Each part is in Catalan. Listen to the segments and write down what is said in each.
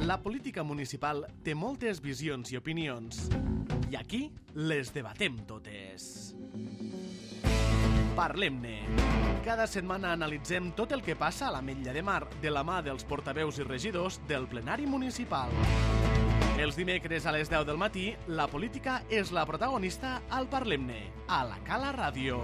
La política municipal té moltes visions i opinions. I aquí les debatem totes. Parlem-ne. Cada setmana analitzem tot el que passa a l'Ametlla de Mar de la mà dels portaveus i regidors del plenari municipal. Els dimecres a les 10 del matí, la política és la protagonista al Parlem-ne, a la Cala Ràdio.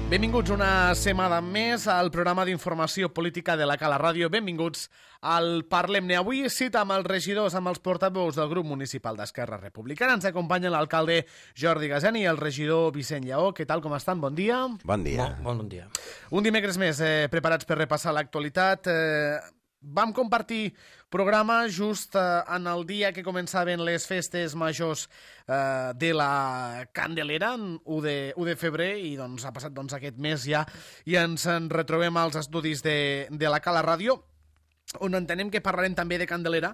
Benvinguts una setmana més al programa d'informació política de la Cala Ràdio. Benvinguts al Parlem-ne. Avui cita amb els regidors, amb els portaveus del grup municipal d'Esquerra Republicana. Ens acompanya l'alcalde Jordi Gaseni i el regidor Vicent Lleó. Què tal, com estan? Bon dia. Bon dia. Bon dia. Un dimecres més preparats per repassar l'actualitat. Vam compartir programa just en el dia que començaven les festes majors de la Candelera, 1 de febrer, i doncs ha passat aquest mes ja, i ens en retrobem als estudis de la Cala Ràdio, on entenem que parlarem també de Candelera,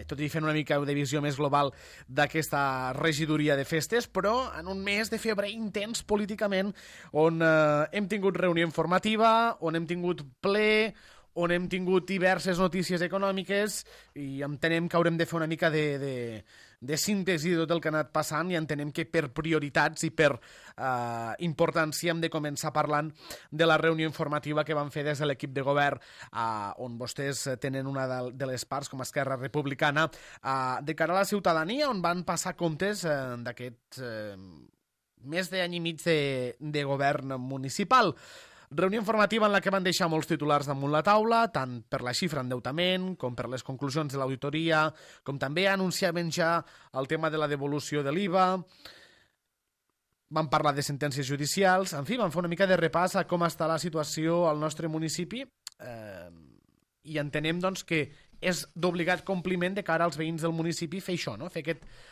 tot i fent una mica de visió més global d'aquesta regidoria de festes, però en un mes de febrer intens políticament, on hem tingut reunió informativa, on hem tingut ple, on hem tingut diverses notícies econòmiques, i entenem que haurem de fer una mica de síntesi de tot el que ha anat passant, i entenem que per prioritats i per importància hem de començar parlant de la reunió informativa que van fer des de l'equip de govern, on vostès tenen una de les parts, com a Esquerra Republicana, de cara a la ciutadania, on van passar comptes d'aquest més d'any i mig de govern municipal. Reunió informativa en la que van deixar molts titulars damunt la taula, tant per la xifra endeutament, com per les conclusions de l'auditoria, com també anunciaven ja el tema de la devolució de l'IVA. Van parlar de sentències judicials, en fi, van fer una mica de repàs a com està la situació al nostre municipi, i entenem doncs, que és d'obligat compliment de cara als veïns del municipi fer això, no? Fer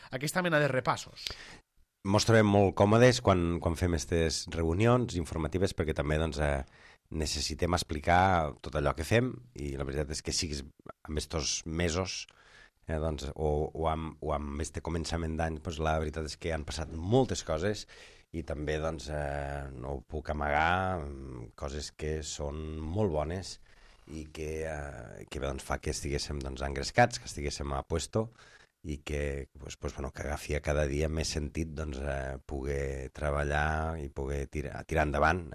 aquesta mena de repassos. Mos trobem molt còmodes quan fem aquestes reunions informatives, perquè també necessitem explicar tot allò que fem, i la veritat és que siguis amb aquests mesos o amb este començament d'any, la veritat és que han passat moltes coses, i també no ho puc amagar, coses que són molt bones i que fa que estiguéssim engrescats, que estiguéssim a puesto, i que agafi cada dia més sentit poder treballar i poder tirar endavant,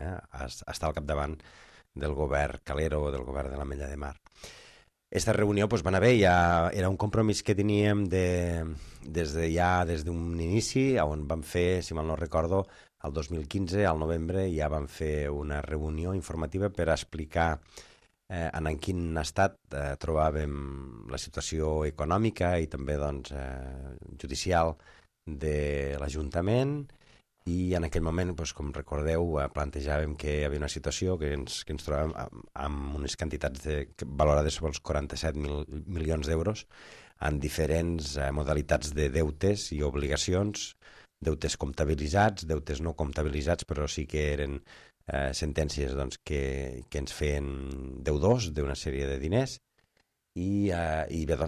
estar al capdavant del govern calero o del govern de l'Ametlla de Mar. Aquesta reunió va anar bé, ja era un compromís que teníem des d'un inici, on vam fer, si mal no recordo, el 2015, al novembre, ja vam fer una reunió informativa per explicar en quin estat trobàvem la situació econòmica i també judicial de l'Ajuntament, i en aquell moment, com recordeu, plantejàvem que hi havia una situació que ens trobàvem amb unes quantitats valorades sobre els 47 milions d'euros en diferents modalitats de deutes i obligacions, deutes comptabilitzats, deutes no comptabilitzats, però sí que eren sentències que ens feien deudors d'una sèrie de diners, i bé,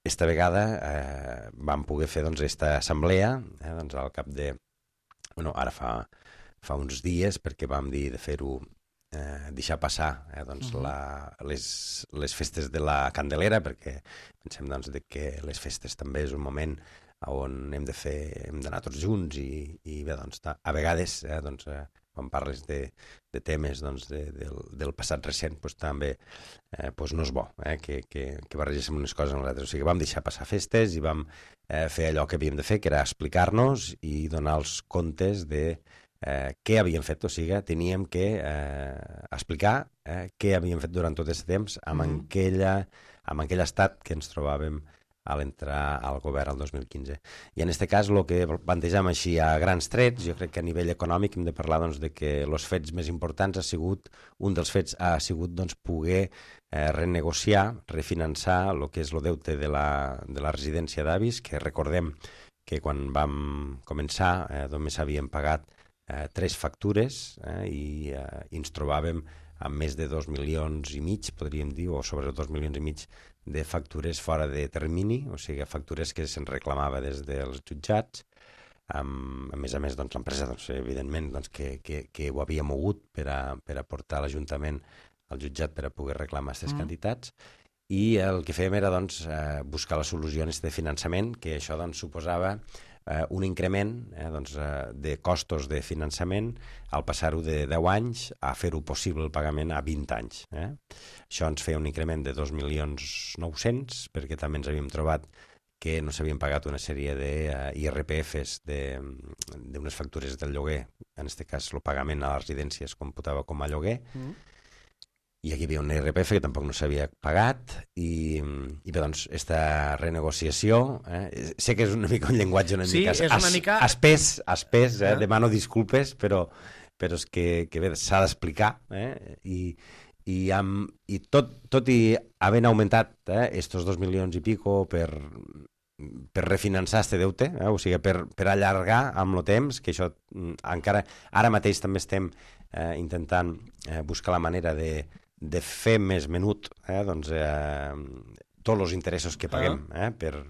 esta vegada vam poder fer aquesta assemblea al cap de... ara fa uns dies, perquè vam dir de fer-ho, deixar passar les festes de la Candelera, perquè pensem que les festes també és un moment on hem d'anar tots junts, i bé, a vegades quan parles de temes del passat recent, també no és bo que barregéssim unes coses amb les altres. O sigui, vam deixar passar festes i vam fer allò que havíem de fer, que era explicar-nos i donar els comptes de què havíem fet. O sigui, teníem que explicar què havíem fet durant tot aquest temps amb aquell estat que ens trobàvem a l'entrar al govern el 2015. I en aquest cas, el que plantegem així a grans trets, jo crec que a nivell econòmic hem de parlar de que els fets més importants un dels fets ha sigut poder renegociar, refinançar el que és el deute de la residència d'avis, que recordem que quan vam començar només havíem pagat 3 factures, i ens trobàvem amb més de 2,5 milions, podríem dir, o sobre 2,5 milions de factures fora de termini, o sigui, factures que se'n reclamava des dels jutjats. A més, l'empresa, evidentment, que ho havia mogut per a portar l'Ajuntament al jutjat per a poder reclamar aquestes quantitats, i el que fèiem era doncs, buscar la solució en de finançament, que això doncs, suposava un increment de costos de finançament al passar-ho de 10 anys a fer-ho possible el pagament a 20 anys. Això ens feia un increment de 2.900.000, perquè també ens havíem trobat que no s'havien pagat una sèrie d'IRPFs d'unes factures del lloguer, en aquest cas el pagament a les residències computava com a lloguer, i aquí hi havia un IRPF que tampoc no s'havia pagat, i bé, doncs, aquesta renegociació, sé que és una mica un llenguatge una mica espès, demano disculpes, però és que bé, s'ha d'explicar, i tot i havent augmentat estos 2 milions i pico per refinançar este deute, o sigui, per allargar amb el temps, que això encara, ara mateix també estem intentant buscar la manera de fer més menut tots els interessos que paguem pel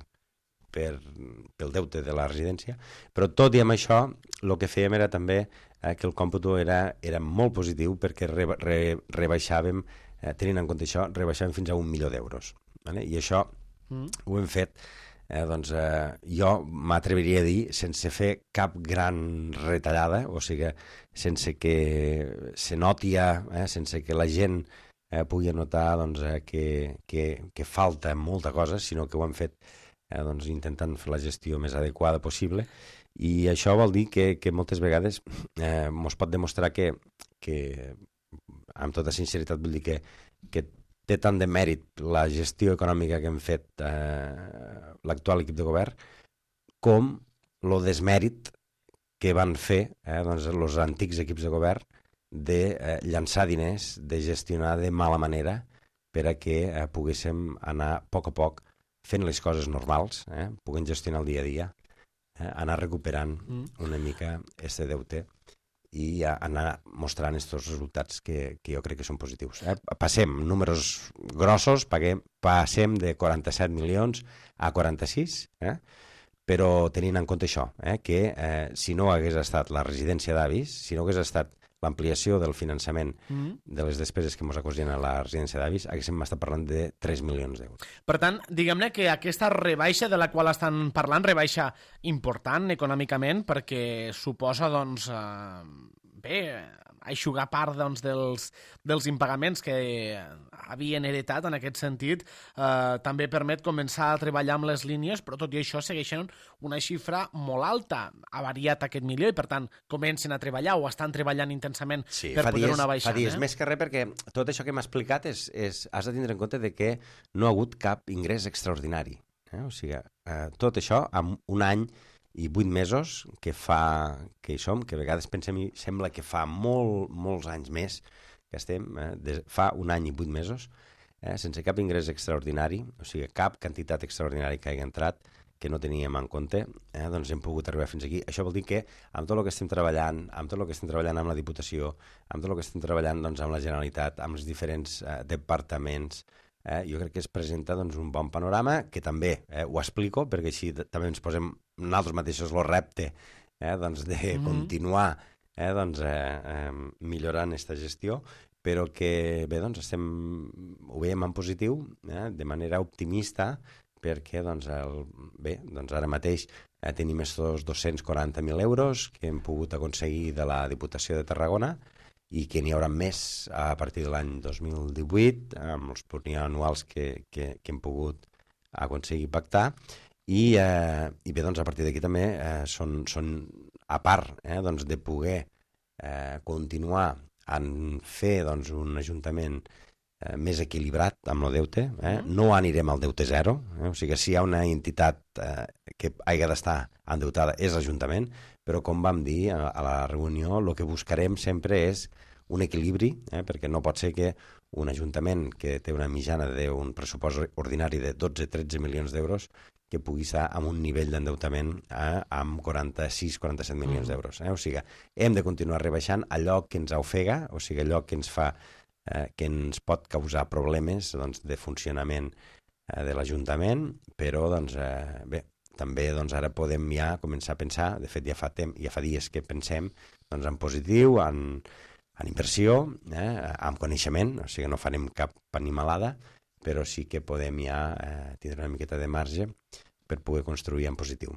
deute de la residència, però tot i amb això el que fèiem era també que el còmputo era molt positiu, perquè rebaixàvem, tenint en compte això, rebaixàvem fins a 1 milió d'euros. I això ho hem fet, jo m'atreviria a dir, sense fer cap gran retallada, o sigui, sense que se noti, sense que la gent pugui notar que falta molta cosa, sinó que ho hem fet intentant fer la gestió més adequada possible, i això vol dir que moltes vegades ens pot demostrar que amb tota sinceritat vull dir que té tant de mèrit la gestió econòmica que hem fet l'actual equip de govern com el desmèrit que van fer els antics equips de govern de llançar diners, de gestionar de mala manera per a que poguéssim anar a poc fent les coses normals, puguem gestionar el dia a dia, anar recuperant una mica aquest deute i anar mostrant aquests resultats que jo crec que són positius. Passem números grossos, passem de 47 milions a 46, però tenint en compte això, que si no hagués estat la residència d'avis, si no hagués estat l'ampliació del finançament de les despeses que ens acosien a la residència d'avis, haguéssim estat parlant de 3 milions d'euros. Per tant, diguem-ne que aquesta rebaixa de la qual estan parlant, rebaixa important econòmicament, perquè suposa, doncs, aixugar part dels impagaments que havien heretat en aquest sentit, també permet començar a treballar amb les línies, però tot i això segueixen una xifra molt alta. Ha variat aquest milió i, per tant, comencen a treballar o estan treballant intensament per poder-ho baixar. Fa dies més que res, perquè tot això que m'ha explicat has de tindre en compte de que no ha hagut cap ingrés extraordinari. O sigui, tot això amb un any i 8 mesos que hi som, que a vegades pensem i sembla que fa molts anys més que estem, fa un any i 8 mesos, sense cap ingrés extraordinari, o sigui, cap quantitat extraordinària que hagi entrat, que no teníem en compte, doncs hem pogut arribar fins aquí. Això vol dir que amb tot el que estem treballant, amb la Diputació, amb tot el que estem treballant amb la Generalitat, amb els diferents departaments, jo crec que es presenta un bon panorama, que també ho explico, perquè així també ens posem nosaltres mateixos el repte de continuar millorant aquesta gestió, però que bé, ho veiem en positiu, de manera optimista, perquè ara mateix tenim estos 240.000 euros que hem pogut aconseguir de la Diputació de Tarragona i que n'hi haurà més a partir de l'any 2018 amb els plurianuals que hem pogut aconseguir pactar i bé, a partir d'aquí també són a part de poder continuar a fer un ajuntament més equilibrat amb el deute, no anirem al deute zero, o sigui, si hi ha una entitat que hagi d'estar endeutada és l'Ajuntament, però com vam dir a la reunió, el que buscarem sempre és un equilibri, perquè no pot ser que un ajuntament que té una mitjana d'un pressupost ordinari de 12-13 milions d'euros que pugui estar amb un nivell d'endeutament amb 46-47 milions d'euros. O sigui, hem de continuar rebaixant allò que ens ofega, o sigui, allò que ens fa que ens pot causar problemes de funcionament de l'Ajuntament, però bé, també ara podem ja començar a pensar, de fet ja fa dies que pensem en positiu, en en inversió, amb coneixement, o sigui, no farem cap animalada, però sí que podem ja tindre una miqueta de marge per poder construir en positiu.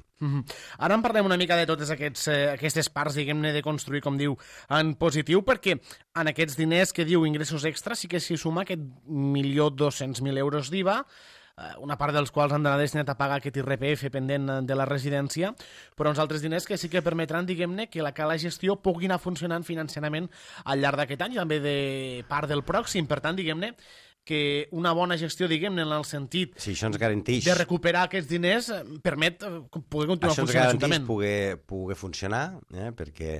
Ara en parlem una mica de totes aquestes parts, diguem-ne, de construir, com diu, en positiu, perquè en aquests diners que diu ingressos extras sí que s'hi suma aquest 1.200.000 euros d'IVA, una part dels quals han d'anar destinat a pagar aquest IRPF pendent de la residència, però uns altres diners que sí que permetran, diguem-ne, que la cala gestió pugui anar funcionant financerament al llarg d'aquest any, també de part del pròxim. Per tant, diguem-ne, que una bona gestió, diguem-ne, en el sentit això ens garanteix de recuperar aquests diners permet poder continuar funcionant l'Ajuntament. Això ens garanteix poder funcionar, perquè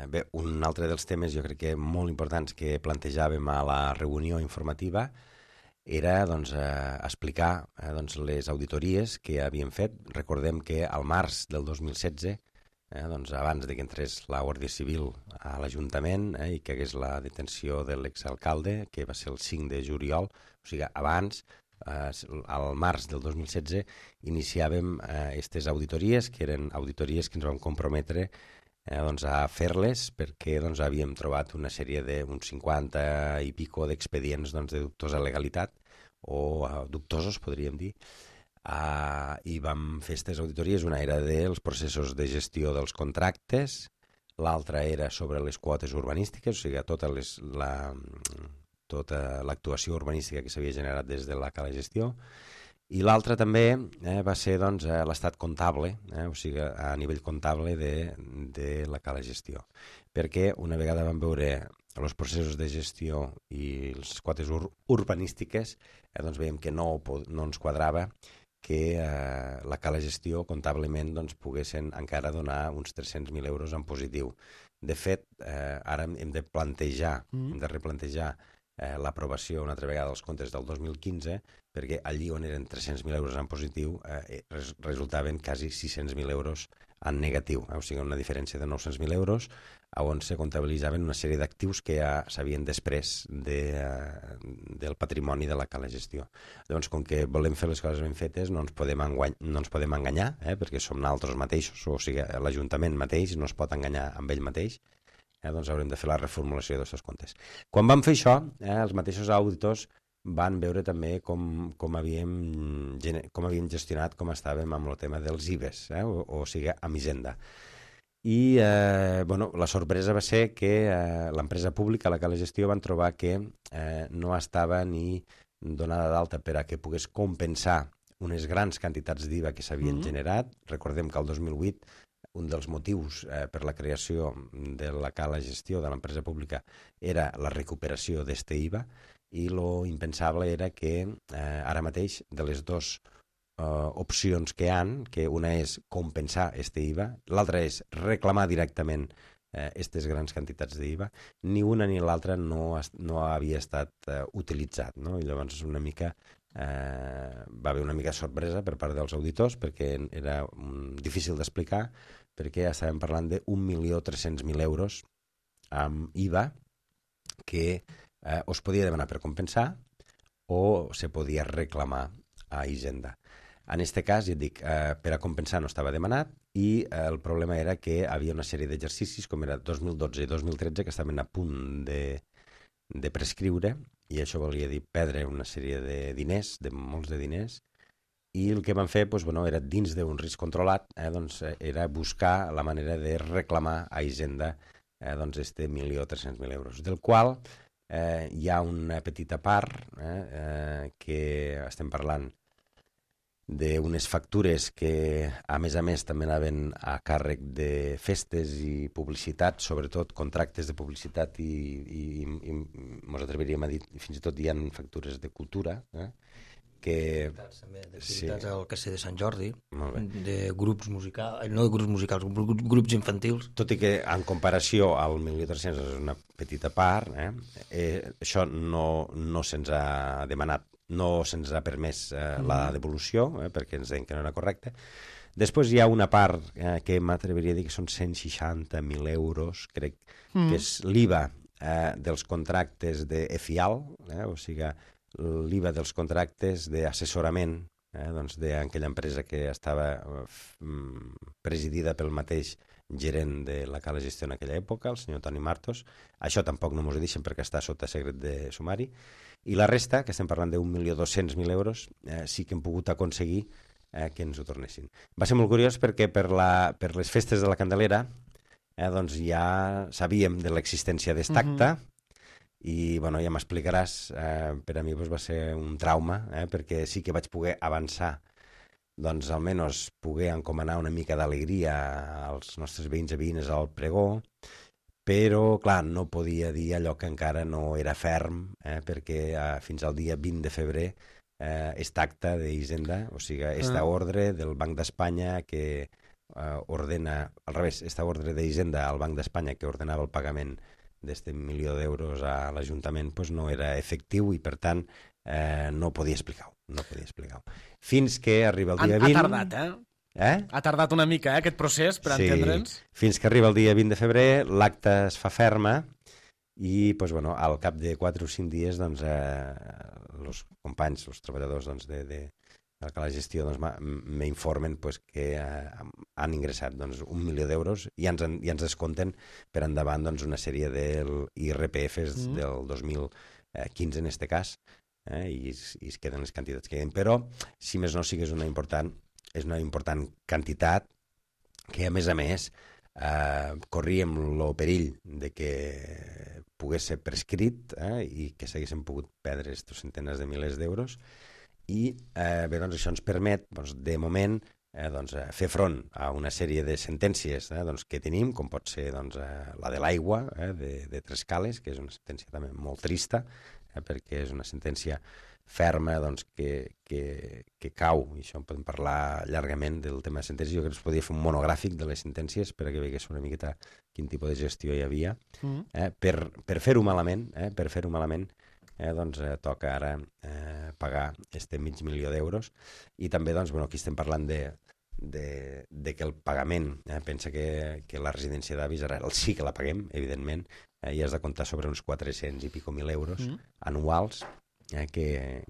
bé, un altre dels temes jo crec que molt importants que plantejàvem a la reunió informativa era doncs, explicar les auditories que havíem fet. Recordem que al març del 2016, doncs abans que entrés la Guàrdia Civil a l'Ajuntament i que hagués la detenció de l'exalcalde, que va ser el 5 de juliol, o sigui, abans, al març del 2016, iniciàvem aquestes auditories, que eren auditories que ens vam comprometre a fer-les perquè havíem trobat una sèrie d'uns 50 i pico d'expedients de dubtosa legalitat, o dubtosos, podríem dir, i vam fer aquestes auditories. Una era dels processos de gestió dels contractes, l'altra era sobre les quotes urbanístiques, o sigui, tota l'actuació urbanística que s'havia generat des de la cala gestió, i l'altra també va ser l'estat comptable, o sigui, a nivell comptable de la cala gestió, perquè una vegada vam veure els processos de gestió i les quotes urbanístiques, veiem que no ens quadrava que la cala gestió comptablement poguessin encara donar uns 300.000 euros en positiu. De fet, ara hem de replantejar l'aprovació una altra vegada dels comptes del 2015, perquè allí on eren 300.000 euros en positiu resultaven quasi 600.000 euros en negatiu, o sigui, una diferència de 900.000 euros, on se comptabilitzaven una sèrie d'actius que ja s'havien després del patrimoni de la cala gestió. Doncs, com que volem fer les coses ben fetes, no ens podem enganyar, perquè som nosaltres mateixos, o sigui, l'Ajuntament mateix no es pot enganyar amb ell mateix, doncs haurem de fer la reformulació dels seus comptes. Quan vam fer això, els mateixos auditors van veure també com havíem gestionat, com estàvem amb el tema dels IVEs, o sigui, amb Hisenda. I la sorpresa va ser que l'empresa pública, la cala gestió, van trobar que no estava ni donada d'alta per a que pogués compensar unes grans quantitats d'IVA que s'havien generat. Recordem que el 2008 un dels motius per la creació de la cala gestió de l'empresa pública era la recuperació d'este IVA, i lo impensable era que ara mateix de les dues opcions que hi ha, que una és compensar este IVA, l'altra és reclamar directament aquestes grans quantitats d'IVA, ni una ni l'altra no havia estat utilitzat, no? I llavors una mica va haver una mica de sorpresa per part dels auditors, perquè era difícil d'explicar, perquè estàvem parlant de 1.300.000 euros amb IVA que o es podia demanar per compensar o se podia reclamar a Hisenda. En aquest cas, ja et dic, per a compensar no estava demanat, i el problema era que hi havia una sèrie d'exercicis, com era 2012 i 2013, que estaven a punt de prescriure, i això volia dir perdre una sèrie de diners, de molts de diners, i el que van fer era dins d'un risc controlat, era buscar la manera de reclamar a Hisenda este 1.300.000 euros, del qual hi ha una petita part que estem parlant d'unes factures que, a més, també anaven a càrrec de festes i publicitat, sobretot contractes de publicitat, i ens atreviríem a dir, fins i tot hi ha factures de cultura, que... D'activitats al Castell de Sant Jordi, de grups musicals, no de grups musicals, grups infantils. Tot i que, en comparació al 1.300.000 és una petita part, això no se'ns ha demanat, no se'ns ha permès la devolució, perquè ens deien que no era correcte. Després hi ha una part que m'atreviria a dir que són 160.000 euros, crec, que és l'IVA dels contractes de EFIAL, o sigui, l'IVA dels contractes d'assessorament doncs d'aquella empresa que estava presidida pel mateix gerent de la Cala Gestió en aquella època, el senyor Toni Martos. Això tampoc no m'ho deixen perquè està sota secret de sumari. I la resta, que estem parlant d'1.200.000 euros, sí que hem pogut aconseguir que ens ho tornessin. Va ser molt curiós perquè per les festes de la Candelera doncs ja sabíem de l'existència d'Estacta i bueno, ja m'explicaràs, per a mi va ser un trauma, perquè sí que vaig poder avançar, doncs almenys poder encomanar una mica d'alegria als nostres veïns i veïnes al pregó, però, clar, no podia dir allò que encara no era ferm, perquè fins al dia 20 de febrer esta acta d'Hisenda, o sigui, esta ordre del Banc d'Espanya que ordena, al revés, esta ordre d'Hisenda al Banc d'Espanya que ordenava el pagament d'este 1.000.000 d'euros a l'Ajuntament, doncs no era efectiu i, per tant, no podia explicar-ho. Fins que arriba el dia 20... Ha tardat, Ha tardat una mica, aquest procés, per entendre'ns. Fins que arriba el dia 20 de febrer, l'acte es fa ferma i, doncs, bueno, al cap de 4 o 5 dies, doncs, els companys, els treballadors de la Cala Gestió m'informen que han ingressat 1.000.000 d'euros i ens descompten per endavant una sèrie d'IRPFs del 2015 en aquest cas, i es queden les quantitats que queden. Però, si més no, sí que és una important quantitat que, a més, corríem el perill de que pogués ser prescrit i que s'haguessin pogut perdre aquests centenars de milers d'euros. I bé, doncs això ens permet, de moment, fer front a una sèrie de sentències que tenim, com pot ser la de l'aigua de Trescales, que és una sentència també molt trista, perquè és una sentència ferma que cau, i això en podem parlar llargament del tema de sentències. Jo crec que es podia fer un monogràfic de les sentències perquè veiés una miqueta quin tipus de gestió hi havia. Per fer-ho malament, doncs toca ara pagar este 500.000 d'euros. I també, aquí estem parlant de que el pagament, pensa que la residència d'avis ara sí que la paguem, evidentment, i has de comptar sobre uns 400 i pico mil euros anuals que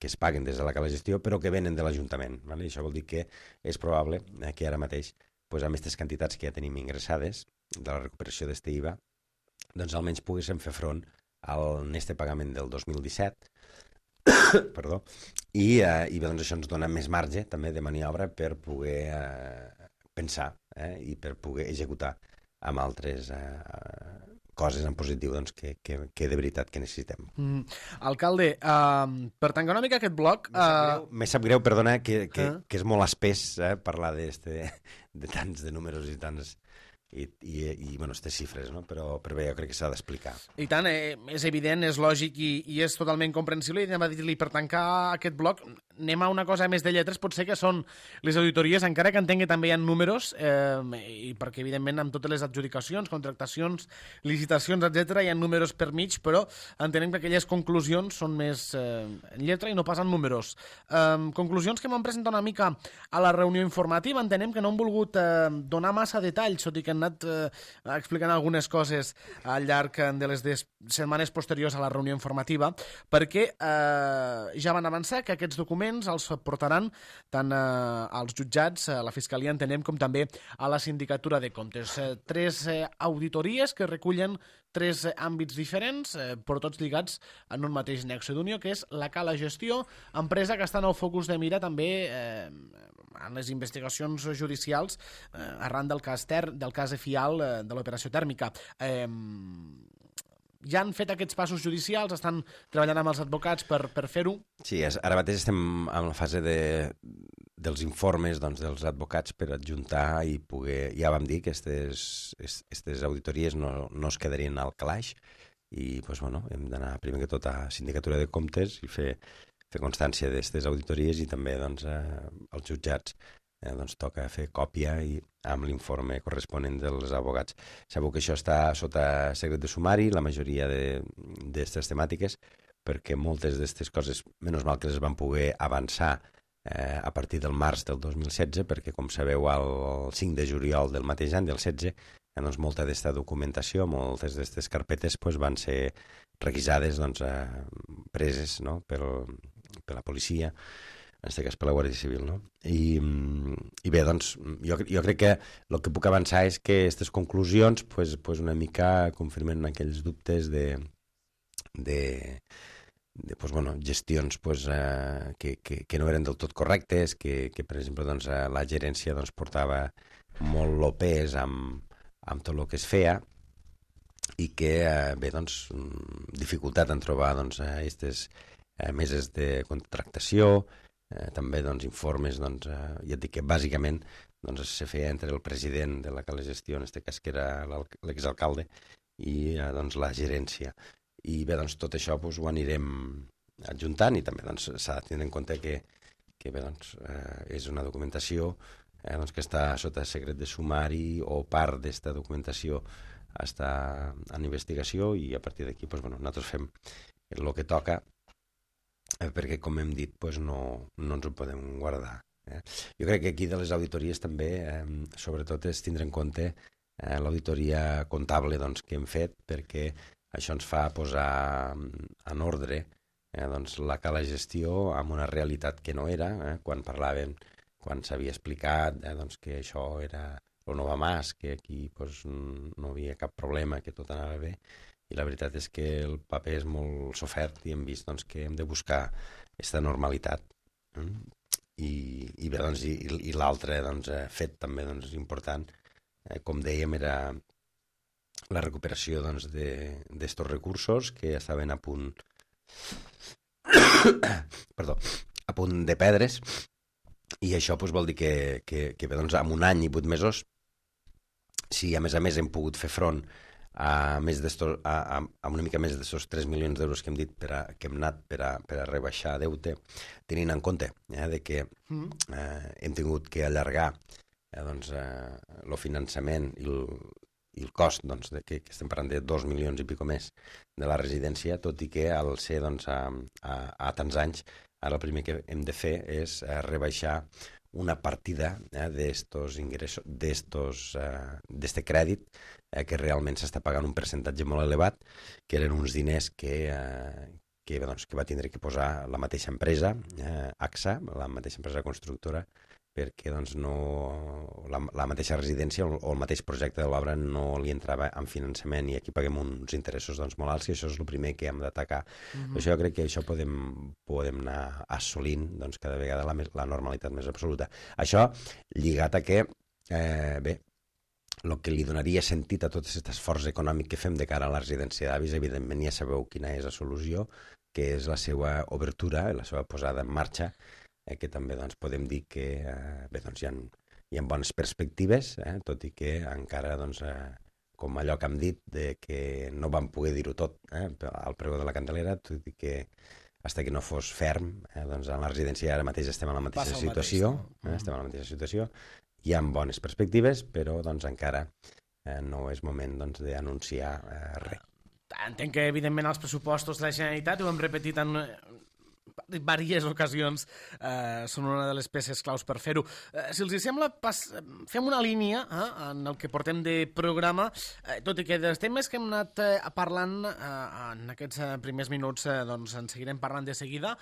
es paguen des de la Cala Gestió, però que venen de l'Ajuntament. I això vol dir que és probable que ara mateix, amb aquestes quantitats que ja tenim ingressades de la recuperació d'este IVA, doncs almenys poguéssim fer front al este pagament del 2017, perdó, i doncs això ens dona més marge també de maniobra per poder pensar i per poder executar amb altres coses en positiu que de veritat que necessitem. Alcalde, per tancar una mica aquest bloc... Me sap greu, perdona, que és molt espès parlar de tants de números i tants... i aquestes xifres, no? Però bé, jo crec que s'ha d'explicar. I tant, és evident, és lògic i és totalment comprensible. I anem a dir-li, per tancar aquest bloc, anem a una cosa més de lletres, potser que són les auditories, encara que entenc que també hi ha números, i perquè, evidentment, amb totes les adjudicacions, contractacions, licitacions, etc, hi ha números per mig, però entenem que aquelles conclusions són més en lletra i no pas en números. Conclusions que m'han presentat una mica a la reunió informativa, entenem que no han volgut donar massa detalls, tot i que han anat explicant algunes coses al llarg de les setmanes posteriors a la reunió informativa, perquè ja van avançar que aquests documents els portaran tant als jutjats, a la Fiscalia, entenem, com també a la Sindicatura de Comptes. 3 auditories que recullen 3 àmbits diferents, però tots lligats en un mateix nexe d'unió, que és la Cala Gestió, empresa que està en el focus de mira també en les investigacions judicials arran del cas EFIAL de l'operació tèrmica. Ja han fet aquests passos judicials, estan treballant amb els advocats per fer-ho? Sí, ara mateix estem en la fase dels informes dels advocats per adjuntar i poder... Ja vam dir que aquestes auditories no es quedarien al calaix i hem d'anar primer que tot a Sindicatura de Comptes i fer constància d'aquestes auditories i també als jutjats toca fer còpia i amb l'informe corresponent dels advocats. Sabeu que això està sota secret de sumari, la majoria d'aquestes temàtiques, perquè moltes d'aquestes coses, menys mal que les van poder avançar a partir del març del 2016, perquè, com sabeu, el 5 de juliol del mateix any, del 16, molta d'aquesta documentació, moltes d'aquestes carpetes van ser requisades, preses per la policia, en aquest cas per la Guàrdia Civil, no? I bé, doncs, jo crec que el que puc avançar és que aquestes conclusions pues una mica confirmen aquells dubtes de pues, bueno, gestions pues, que no eren del tot correctes, que per exemple, doncs, la gerència doncs, portava molt el pes amb tot el que es feia i que, bé, doncs, dificultat en trobar doncs, aquestes meses de contractació, també doncs, informes, doncs, ja et dic que bàsicament doncs, se feia entre el president de la gestió, en aquest cas que era l'exalcalde, i doncs, la gerència. I bé, doncs, tot això doncs, ho anirem adjuntant i també doncs, s'ha de tenir en compte que bé, doncs, és una documentació doncs, que està sota secret de sumari o part d'aquesta documentació està en investigació i a partir d'aquí doncs, bueno, nosaltres fem el que toca perquè, com hem dit, doncs, no ens ho podem guardar. Jo crec que aquí de les auditories també, sobretot, és tindre en compte l'auditoria comptable doncs, que hem fet, perquè això ens fa posar en ordre doncs, la cala gestió amb una realitat que no era, quan parlàvem, quan s'havia explicat doncs, que això era el no va más, que aquí doncs, no havia cap problema, que tot anava bé, i la veritat és que el paper és molt sofert i hem vist doncs, que hem de buscar aquesta normalitat. I bé, doncs, i l'altre doncs, fet també doncs, important, com dèiem, era la recuperació doncs, d'estos recursos que estaven a punt a punt de perdre's, i això doncs, vol dir que bé, doncs, en un any i 8 mesos, si a més hem pogut fer front a una mica més d'estos 3 milions d'euros que hem dit que hem anat per a rebaixar deute, tenint en compte de que hem tingut que allargar doncs, el finançament i el cost, doncs, que estem parlant de 2 milions i pico més de la residència, tot i que al ser doncs, a tants anys, ara el primer que hem de fer és rebaixar una partida d'estos ingressos, d'este crèdit, que realment s'està pagant un percentatge molt elevat, que eren uns diners que va tindre que posar la mateixa empresa, AXA, la mateixa empresa constructora, perquè doncs, la mateixa residència o el mateix projecte de l'obra no li entrava en finançament i aquí paguem uns interessos doncs, molt alts i això és el primer que hem d'atacar. Això jo crec que això podem anar assolint doncs, cada vegada la normalitat més absoluta. Això lligat a que, bé, el que li donaria sentit a tot aquest esforç econòmic que fem de cara a la residència d'avis, evidentment ja sabeu quina és la solució, que és la seva obertura, la seva posada en marxa, que també doncs, podem dir que bé, doncs, hi ha bones perspectives, tot i que encara, doncs, com allò que hem dit, que no vam poder dir-ho tot al preu de la Candelera, tot i que fins que no fos ferm, doncs, en la residència ara mateix estem en la mateixa situació, estem en la mateixa situació, hi ha bones perspectives, però doncs, encara no és moment doncs, d'anunciar res. Entenc que, evidentment, els pressupostos de la Generalitat, ho hem repetit en diverses ocasions, són una de les peces claus per fer-ho. Si els sembla, fem una línia en el que portem de programa, tot i que dels temes que hem anat parlant en aquests primers minuts doncs en seguirem parlant de seguida.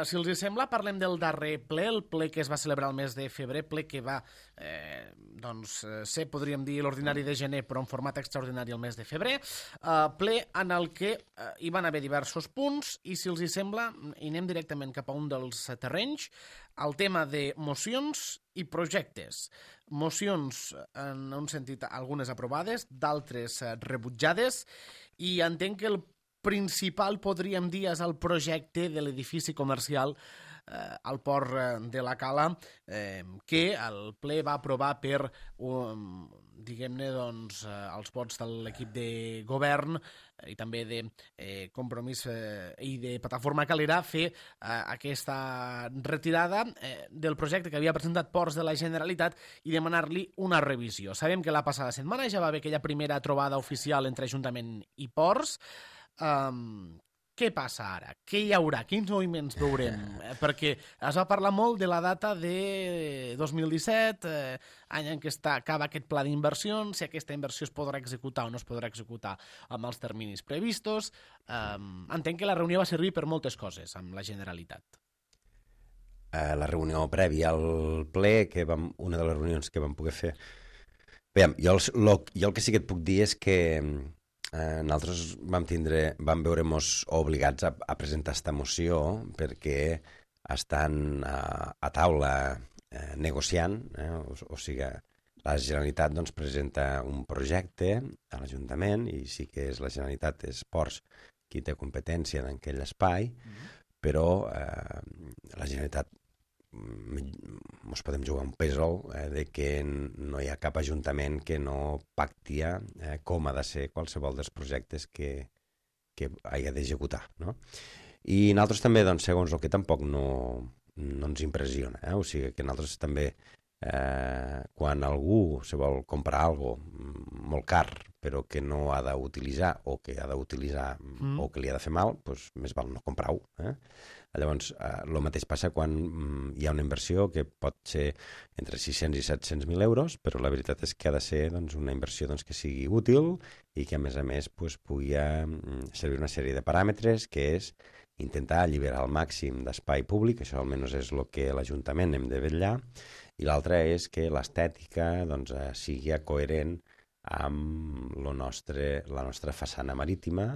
Si els sembla, parlem del darrer ple, el ple que es va celebrar el mes de febrer, ple que va doncs, ser, podríem dir, l'ordinari de gener, però en format extraordinari el mes de febrer, ple en el que hi van haver diversos punts i, si els sembla, hi anem directament cap a un dels terrenys, el tema de mocions i projectes. Mocions, en un sentit, algunes aprovades, d'altres rebutjades, i entenc que el principal, podríem dir, és el projecte de l'edifici comercial al port de la Cala, que el ple va aprovar per, diguem-ne, doncs, els vots de l'equip de govern i també de Compromís i de Plataforma Calera, fer aquesta retirada del projecte que havia presentat Ports de la Generalitat i demanar-li una revisió. Sabem que la passada setmana ja va haver aquella primera trobada oficial entre Ajuntament i Ports. Què passa ara? Què hi haurà? Quins moviments veurem? Perquè es va parlar molt de la data de 2017, any en què acaba aquest pla d'inversions, si aquesta inversió es podrà executar o no es podrà executar amb els terminis previstos. Entenc que la reunió va servir per moltes coses amb la Generalitat. la reunió prèvia al ple, una de les reunions que vam poder fer. Veiem, jo el que sí que et puc dir és que nosaltres vam veure-nos obligats a presentar esta moció perquè estan a taula negociant, o sigui, la Generalitat doncs, presenta un projecte a l'Ajuntament i sí que és la Generalitat, és Ports qui té competència en aquell espai, però la Generalitat ens podem jugar un pèsol de que no hi ha cap ajuntament que no pactia com ha de ser qualsevol dels projectes que hagi d'executar, no? I nosaltres també, doncs, segons el que tampoc no ens impressiona, o sigui que nosaltres també quan algú se vol comprar alguna molt car però que no ha d'utilitzar o que ha d'utilitzar o que li ha de fer mal, doncs més val no comprar-ho. Llavors, el mateix passa quan hi ha una inversió que pot ser entre 600 i 700.000 euros, però la veritat és que ha de ser doncs, una inversió doncs, que sigui útil i que, a més, doncs, pugui servir una sèrie de paràmetres, que és intentar alliberar al màxim d'espai públic, això almenys és el que l'Ajuntament hem de vetllar, i l'altre és que l'estètica doncs, sigui coherent amb la nostra façana marítima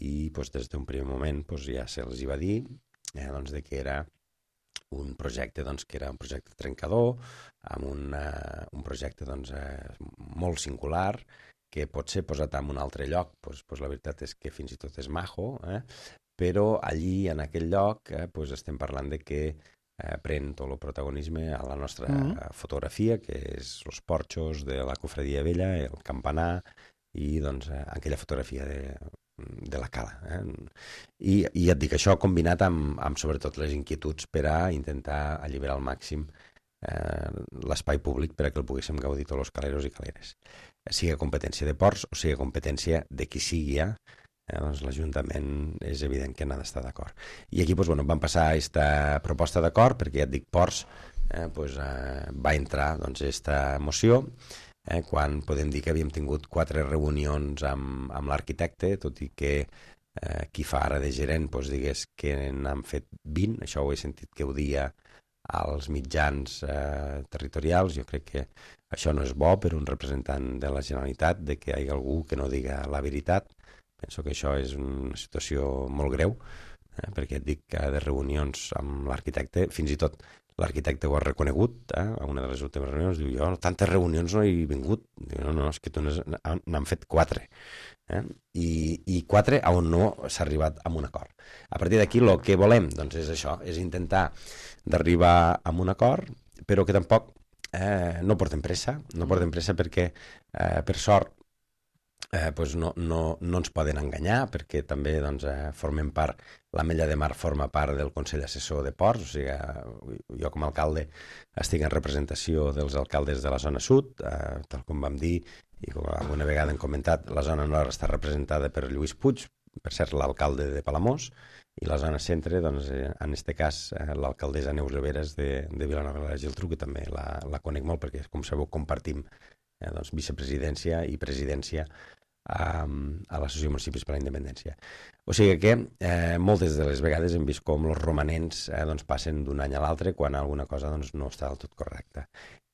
i doncs, des d'un primer moment doncs, ja se'ls va dir doncs, que era un projecte que era un projecte trencador, amb un projecte doncs, molt singular, que pot ser posat en un altre lloc, doncs, la veritat és que fins i tot és majo, però allí, en aquell lloc, doncs, estem parlant de que pren tot el protagonisme a la nostra fotografia, que és els porxos de la Cofradia Vella, el campanar i doncs, aquella fotografia de la cala. I ja et dic, això combinat amb sobretot les inquietuds per a intentar alliberar al màxim l'espai públic per a que el poguéssim gaudir tots els caleros i caleres. Sigui competència de ports o sigui competència de qui sigui doncs l'Ajuntament és evident que n'ha d'estar d'acord. I aquí doncs, vam passar aquesta proposta d'acord perquè ja et dic, Ports va entrar aquesta moció quan podem dir que havíem tingut 4 reunions amb l'arquitecte, tot i que qui fa ara de gerent digués que n'han fet 20, això ho he sentit que ho dia als mitjans territorials. Jo crec que això no és bo per un representant de la Generalitat, de que hi hagi algú que no diga la veritat. Penso que això és una situació molt greu, perquè et dic que de reunions amb l'arquitecte, fins i tot l'arquitecte ho ha reconegut, a una de les últimes reunions, diu, jo tantes reunions no he vingut. Diu, no, és que tu n'han fet 4. I 4 on no s'ha arribat a un acord. A partir d'aquí el que volem doncs, és això, és intentar d'arribar a un acord, però que tampoc no portem pressa, perquè, per sort, doncs no ens poden enganyar, perquè també doncs, formem part, l'Ametlla de Mar forma part del Consell Assessor de Ports, o sigui, jo com a alcalde estic en representació dels alcaldes de la zona sud, tal com vam dir, i com alguna vegada hem comentat, la zona nord està representada per Lluís Puig, per cert l'alcalde de Palamós, i la zona centre, doncs, en aquest cas, l'alcaldessa Neus Riveras de Vilanova i la Geltrú, que també la conec molt, perquè, com sabeu, compartim doncs, vicepresidència i presidència a l'Associació de Municipis per la Independència. O sigui que moltes de les vegades hem vist com els romanents doncs, passen d'un any a l'altre quan alguna cosa doncs, no està del tot correcta.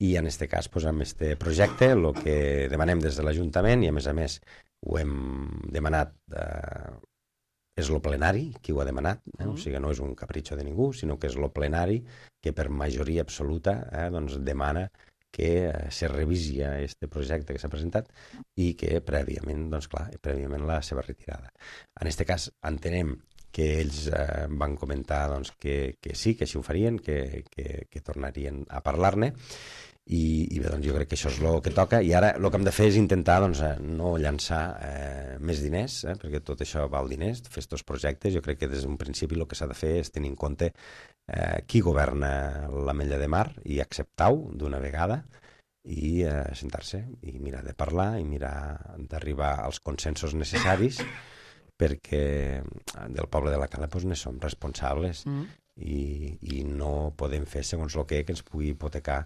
I en aquest cas, doncs, amb aquest projecte, el que demanem des de l'Ajuntament, i a més ho hem demanat, és el plenari qui ho ha demanat, o sigui, no és un capritxo de ningú, sinó que és el plenari que per majoria absoluta doncs, demana que se revisi aquest projecte que s'ha presentat i que prèviament, doncs clar, la seva retirada. En aquest cas, entenem que ells van comentar doncs, que sí, que així ho farien, que tornarien a parlar-ne, i bé, doncs jo crec que això és el que toca, i ara el que hem de fer és intentar doncs, no llançar més diners, perquè tot això val diners, fer aquests projectes. Jo crec que des d'un principi el que s'ha de fer és tenir en compte qui governa l'Ametlla de Mar i acceptar-ho d'una vegada i sentar-se i mirar de parlar i mirar d'arribar als consensos necessaris, perquè del poble de la Cala doncs, ne som responsables i no podem fer segons el que ens pugui hipotecar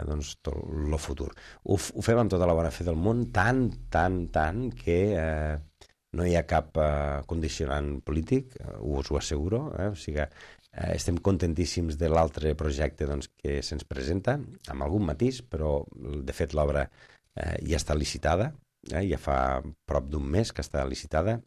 doncs, tot el futur. Ho fem amb tota la bona fe del món, tant que no hi ha cap condicionant polític, us ho asseguro, o sigui, Estem contentíssims de l'altre projecte doncs, que se'ns presenta, amb algun matís, però de fet l'obra ja està licitada, ja fa prop d'un mes que està licitada,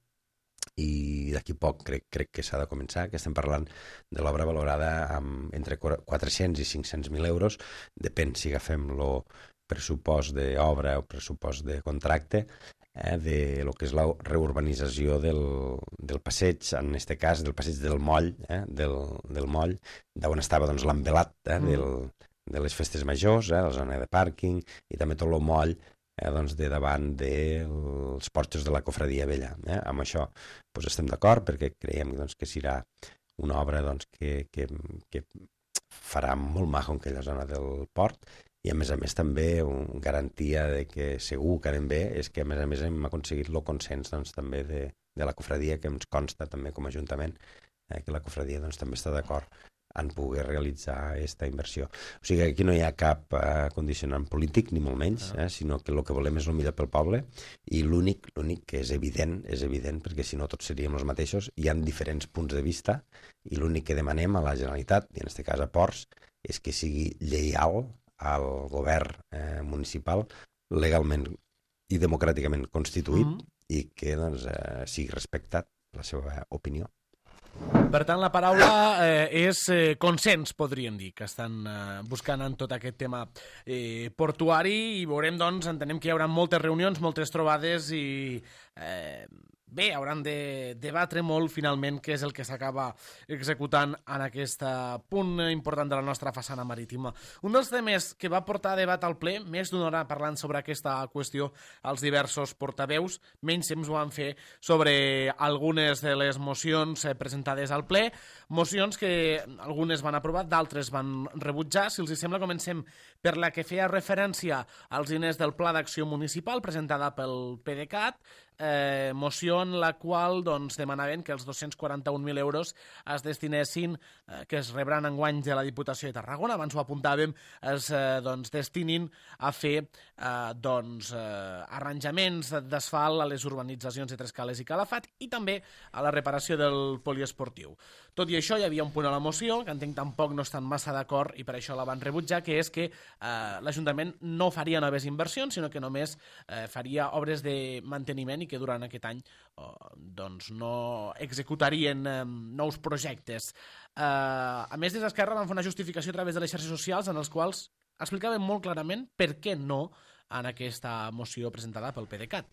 i d'aquí poc crec que s'ha de començar, que estem parlant de l'obra valorada entre 400 i 500.000 euros, depèn si agafem el pressupost d'obra o pressupost de contracte, de lo que és la reurbanització del passeig, en aquest cas del passeig del moll, del moll, d'on estava doncs, l'envelat de les festes majors, la zona de pàrquing, i també tot el moll doncs, de davant dels porxos de la Cofradia Vella. Amb això doncs, estem d'acord, perquè creiem doncs, que serà una obra doncs, que farà molt maco en aquella zona del port, i a més també una garantia de que segur que anem bé és que a més hem aconseguit el consens doncs, també de la cofradia, que ens consta també com a Ajuntament que la cofradia doncs, també està d'acord en poder realitzar aquesta inversió. O sigui, aquí no hi ha cap condicionant polític, ni molt menys, sinó que el que volem és el millor pel poble, i l'únic que és evident, perquè si no tots seríem els mateixos, hi ha diferents punts de vista, i l'únic que demanem a la Generalitat, i en aquest cas a Ports, és que sigui lleial al govern municipal legalment i democràticament constituït i que doncs, sigui respectat la seva opinió. Per tant, la paraula és consens, podríem dir, que estan buscant en tot aquest tema portuari, i veurem, doncs, entenem que hi haurà moltes reunions, moltes trobades, i bé, hauran de debatre molt, finalment, què és el que s'acaba executant en aquest punt important de la nostra façana marítima. Un dels temes que va portar a debat al ple, més d'una hora parlant sobre aquesta qüestió als diversos portaveus, menys temps ho van fer sobre algunes de les mocions presentades al ple, mocions que algunes van aprovar, d'altres van rebutjar. Si els sembla, comencem per la que feia referència als diners del Pla d'Acció Municipal, presentada pel PDeCAT, moció en la qual doncs, demanaven que els 241.000 euros es destinessin, que es rebran enguany de la Diputació de Tarragona, abans ho apuntàvem, es destinin a fer arranjaments d'asfalt a les urbanitzacions de Trescales i Calafat, i també a la reparació del poliesportiu. Tot i això, hi havia un punt a la moció que entenc tampoc no estan massa d'acord, i per això la van rebutjar, que és que l'Ajuntament no faria noves inversions, sinó que només faria obres de manteniment, i que durant aquest any doncs no executarien nous projectes. A més, des d'Esquerra van fer una justificació a través de les xarxes socials en els quals explicaven molt clarament per què no en aquesta moció presentada pel PDeCAT.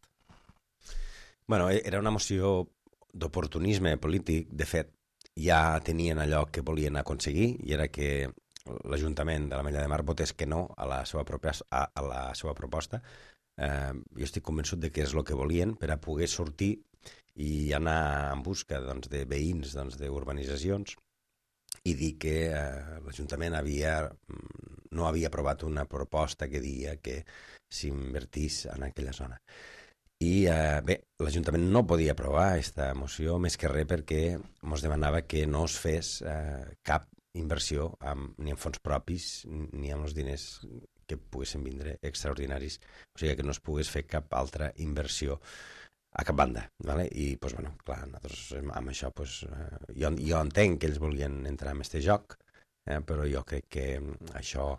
Bueno, era una moció d'oportunisme polític. De fet, ja tenien allò que volien aconseguir, i era que l'Ajuntament de l'Ametlla de Mar votés que no a la seva proposta. Jo estic convençut de que és el que volien per a poder sortir i anar en busca doncs, de veïns d'urbanitzacions i dir que l'Ajuntament no havia aprovat una proposta que deia que s'invertís en aquella zona. I bé, l'Ajuntament no podia aprovar aquesta moció més que res perquè ens demanava que no es fes cap inversió ni en fons propis ni amb els diners que poguessin vindre extraordinaris, o sigui que no es pogués fer cap altra inversió a cap banda. ¿vale? I, doncs, bueno, clar, nosaltres amb això, doncs, jo entenc que ells volien entrar en aquest joc, però jo crec que això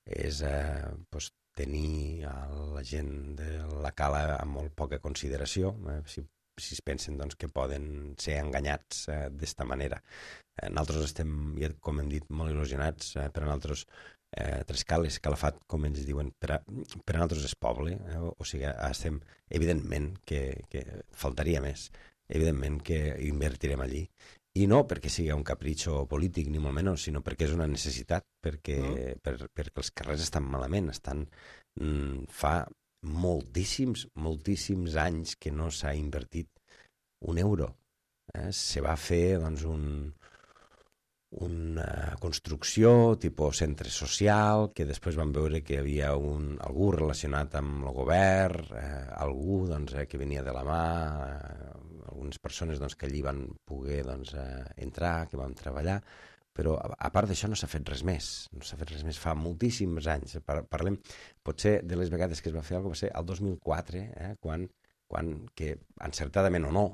és doncs, tenir la gent de la cala amb molt poca consideració, si es pensen doncs, que poden ser enganyats d'esta manera. Nosaltres estem, com hem dit, molt il·lusionats, per a nosaltres Trescales, Calafat, com ells diuen, per a nosaltres és poble, o sigui, estem, evidentment que faltaria més, evidentment que invertirem allí, i no perquè sigui un capritxo polític ni molt menys, sinó perquè és una necessitat, perquè els carrers estan malament, fa moltíssims anys que no s'ha invertit un euro. Se va fer doncs, una construcció tipus centre social, que després van veure que hi havia algú relacionat amb el govern, algú doncs, que venia de la mà, algunes persones doncs, que allí van poder doncs, entrar, que van treballar, però a part d'això no s'ha fet res més. No s'ha fet res més fa moltíssims anys. Parlem, potser de les vegades que es va fer alguna cosa, va ser el 2004, quan que encertadament o no,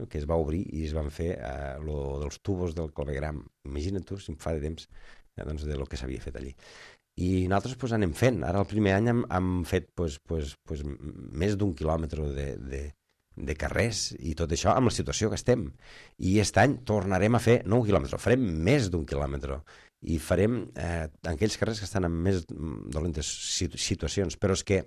que es va obrir i es van fer lo dels tubos del clavegram. Imagina't tu, si em fa de temps, doncs, de lo que s'havia fet allí. I nosaltres anem fent. Ara el primer any hem fet més d'1 quilòmetre de carrers i tot això amb la situació que estem. I aquest any tornarem a fer no 1 quilòmetre, farem més d'1 quilòmetre i farem aquells carrers que estan en més dolentes situacions. Però és que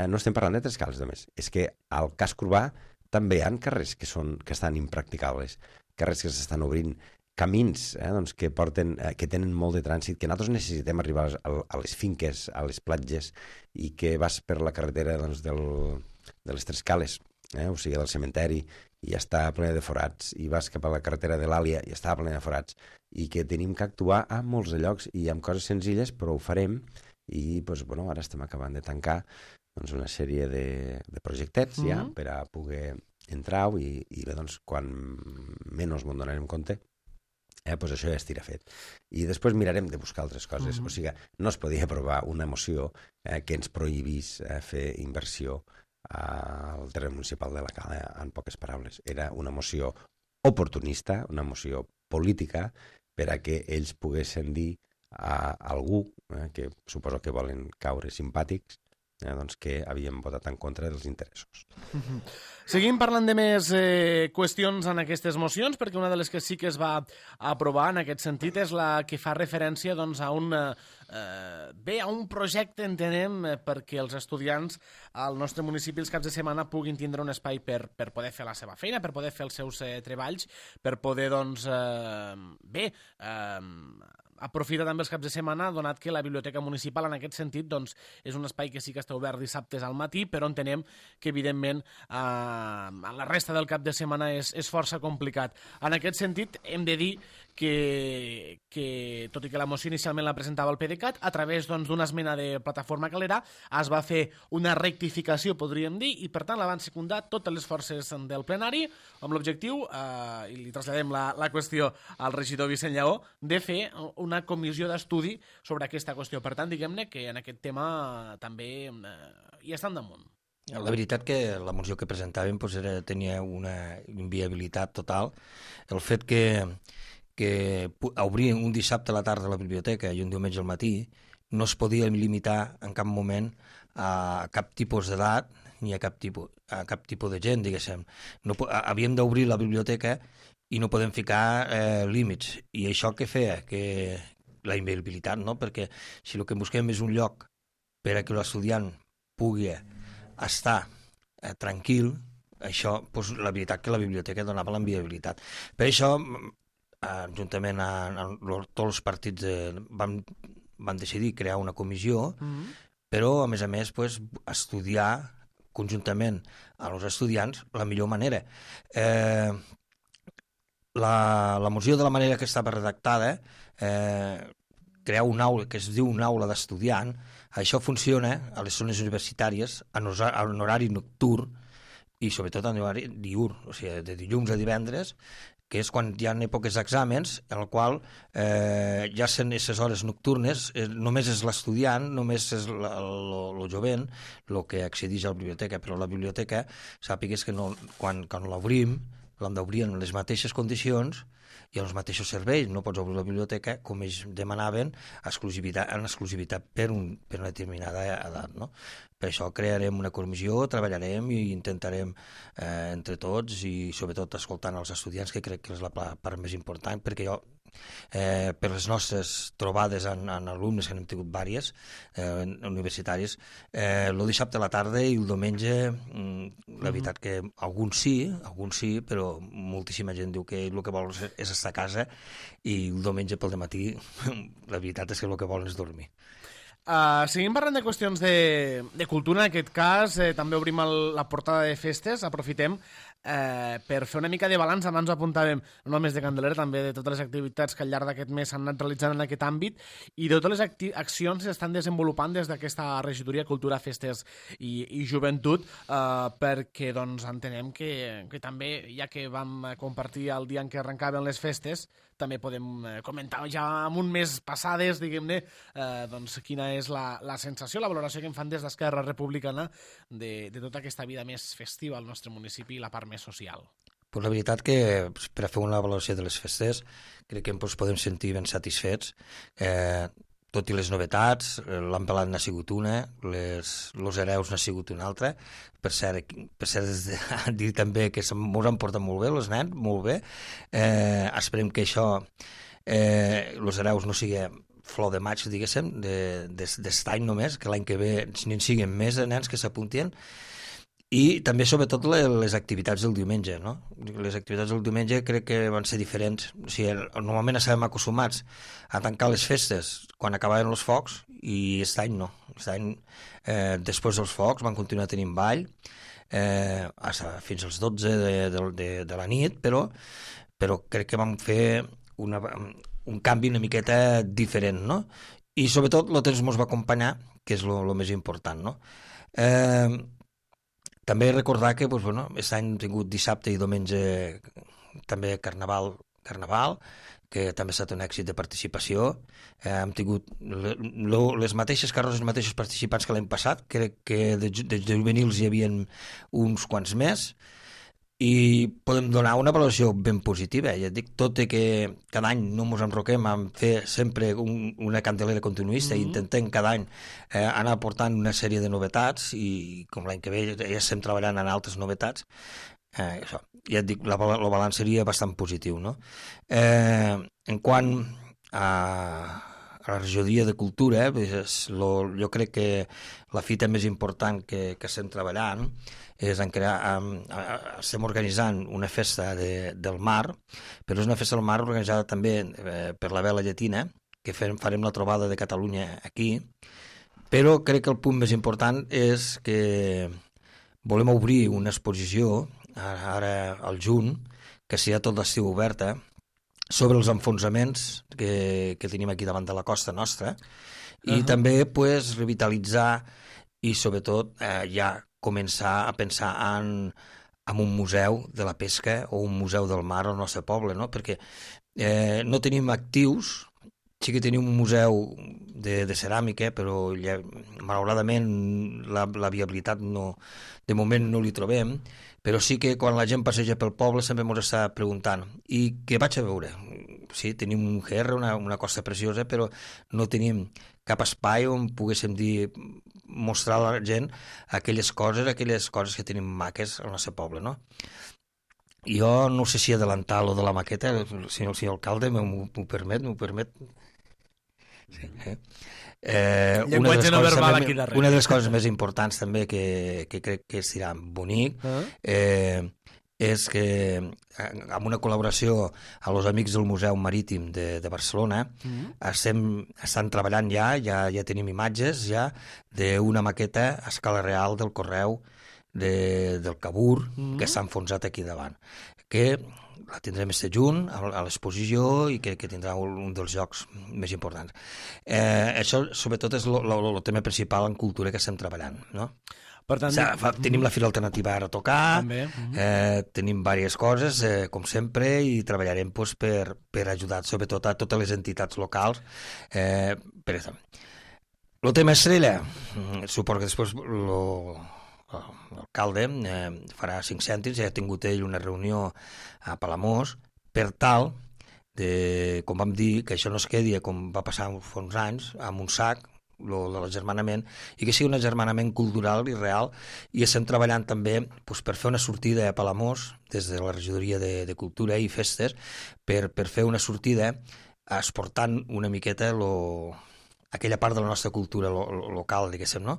no estem parlant de Trescals, només. És que al casc urbà també hi ha carrers que estan impracticables, carrers que s'estan obrint, camins doncs, que tenen molt de trànsit, que nosaltres necessitem arribar a les finques, a les platges, i que vas per la carretera doncs, de les Trescales, o sigui, del cementeri, i ja està plena de forats, i vas cap a la carretera de l'Àlia i està plena de forats, i que tenim que actuar a molts de llocs i amb coses senzilles, però ho farem, i ara estem acabant de tancar doncs, una sèrie de projectets ja per a poder entrar-hi i doncs, quan menys m'ho donarem compte, doncs això ja estirà fet. I després mirarem de buscar altres coses. O sigui, no es podia aprovar una moció que ens prohibís fer inversió al terreny municipal de la Cala, en poques paraules. Era una moció oportunista, una moció política, per a que ells poguessin dir a algú, que suposo que volen caure simpàtics, doncs que havíem votat en contra dels interessos. Seguim parlant de més qüestions en aquestes mocions, perquè una de les que sí que es va aprovar en aquest sentit és la que fa referència doncs, a un projecte, entenem, perquè els estudiants al nostre municipi els caps de setmana puguin tindre un espai per poder fer la seva feina, per poder fer els seus treballs, per poder, doncs, aprofita també els caps de setmana, donat que la biblioteca municipal en aquest sentit doncs, és un espai que sí que està obert dissabtes al matí, però entenem que evidentment la resta del cap de setmana és força complicat. En aquest sentit hem de dir que tot i que la moció inicialment la presentava el PDeCAT, a través d'una esmena de Plataforma Calera es va fer una rectificació, podríem dir, i per tant la van secundar totes les forces del plenari amb l'objectiu, i li traslladem la qüestió al regidor Vicent Lleó, de fer una comissió d'estudi sobre aquesta qüestió. Per tant, diguem-ne que en aquest tema també hi estan damunt. La veritat que la moció que presentàvem tenia una inviabilitat total. El fet que obrir un dissabte a la tarda a la biblioteca i un diumenge al matí no es podia limitar en cap moment a cap tipus d'edat ni a cap tipus de gent, diguéssim. Havíem d'obrir la biblioteca i no podem ficar límits. I això què feia? Que la inviabilitat, no? Perquè si el que busquem és un lloc per a que l'estudiant pugui estar tranquil, això, doncs, la veritat que la biblioteca donava la inviabilitat. Per això, juntament amb tots els partits van decidir crear una comissió, però, a més, estudiar conjuntament amb els estudiants la millor manera. La moció, de la manera que estava redactada, crear una aula que es diu una aula d'estudiant. Això funciona a les zones universitàries en horari nocturn i sobretot en horari diürn, o sigui, de dilluns a divendres, que és quan hi ha èpoques d'exàmens, en el qual ja són aquestes hores nocturnes, només és l'estudiant, només és el jovent el que accedeix a la biblioteca, però la biblioteca, sàpigues que quan l'obrim, l'hem d'obrir en les mateixes condicions i en els mateixos serveis. No pots obrir la biblioteca, com ells demanaven, en exclusivitat per una determinada edat. No? Per això crearem una comissió, treballarem i intentarem entre tots i sobretot escoltant els estudiants, que crec que és la part més important, perquè jo, per les nostres trobades en alumnes, que n'hem tingut diverses, universitaris, el dissabte a la tarda i el diumenge, la veritat que alguns sí, però moltíssima gent diu que el que vol és estar a casa i el diumenge pel dematí la veritat és que el que volen és dormir. Seguim parlant de qüestions de cultura, en aquest cas també obrim la portada de festes, aprofitem per fer una mica de balanç, abans ho apuntàvem no només de Candelera, també de totes les activitats que al llarg d'aquest mes s'han anat realitzant en aquest àmbit i de totes les accions que s'estan desenvolupant des d'aquesta regidoria Cultura, Festes i Joventut, perquè doncs, entenem que també, ja que vam compartir el dia en què arrencaven les festes, també podem comentar ja amb un mes passades, diguem-ne, doncs, quina és la sensació, la valoració que en fan des d'Esquerra Republicana de tota aquesta vida més festiva al nostre municipi i la part més social. Pues la veritat que per a fer una valoració de les festes crec que ens podem sentir ben satisfets. Tot i les novetats, l'Ampelat n'ha sigut una, los hereus n'ha sigut una altra. Per cert dir també que ens han portat molt bé, els nens, molt bé. Esperem que això, los hereus no sigui flor de maig, diguéssim, d'est any només, que l'any que ve n'hi siguin més de nens que s'apuntien. I també, sobretot, les activitats del diumenge, no? Les activitats del diumenge crec que van ser diferents. O sigui, normalment estàvem acostumats a tancar les festes quan acabaven els focs i aquest any no. Aquest any, després dels focs, van continuar tenint ball fins als 12 de la nit, però crec que vam fer un canvi una miqueta diferent, no? I, sobretot, el temps ens va acompanyar, que és el més important, no? També recordar que aquest any hem tingut dissabte i diumenge també carnaval, que també ha estat un èxit de participació. Hem tingut les mateixes carrosses, els mateixos participants que l'any passat. Crec que de juvenils hi havia uns quants més i podem donar una valoració ben positiva. Ja et dic, tot i que cada any no ens enroquem a fer sempre una candelera continuista i intentem cada any anar portant una sèrie de novetats i com l'any que ve ja estem treballant en altres novetats, això, ja et dic, el balanç seria bastant positiu, no? En quant a la regidoria de cultura, jo crec que la fita més important que estem treballant és estem organitzant una festa del mar, però és una festa del mar organitzada també per la Vela Llatina, que farem la trobada de Catalunya aquí, però crec que el punt més important és que volem obrir una exposició ara al juny, que serà tot l'estiu oberta, sobre els enfonsaments que tenim aquí davant de la costa nostra i també revitalitzar i sobretot ja començar a pensar en un museu de la pesca o un museu del mar al nostre poble, no? Perquè no tenim actius, sí que tenim un museu de ceràmica, però malauradament la viabilitat de moment no li trobem, però sí que quan la gent passeja pel poble sempre ens està preguntant i què vaig a veure? Sí, tenim un GR, una costa preciosa, però no tenim cap espai on poguéssim mostrar a la gent aquelles coses que tenim maques al nostre poble, no? Jo no sé si adelantar lo de la maqueta, si el senyor alcalde m'ho permet. Sí. Llenguatge no verbal aquí darrere. Una de les coses més importants també que crec que serà bonic és que amb una col·laboració amb els amics del Museu Marítim de Barcelona estan treballant ja tenim imatges d'una maqueta a escala real del correu del Cabur que s'ha enfonsat aquí davant, que la tindrem este juny a l'exposició i que tindrà un dels llocs més importants. Això sobretot és el tema principal en cultura que estem treballant, no? Per tant, tenim la Fira Alternativa ara a tocar, tenim diverses coses, com sempre, i treballarem per ajudar sobretot a totes les entitats locals. Per exemple, el tema estrella, suposo que després l'alcalde farà 5 cèntims, ja ha tingut ell una reunió a Palamós, per tal, com vam dir, que això no es quedi com va passar fa uns anys, amb un sac, de l'agermanament, i que sigui un agermanament cultural i real, i estem treballant també per fer una sortida a Palamós des de la regidoria de Cultura i Festes per fer una sortida exportant una miqueta aquella part de la nostra cultura local, diguéssim, no?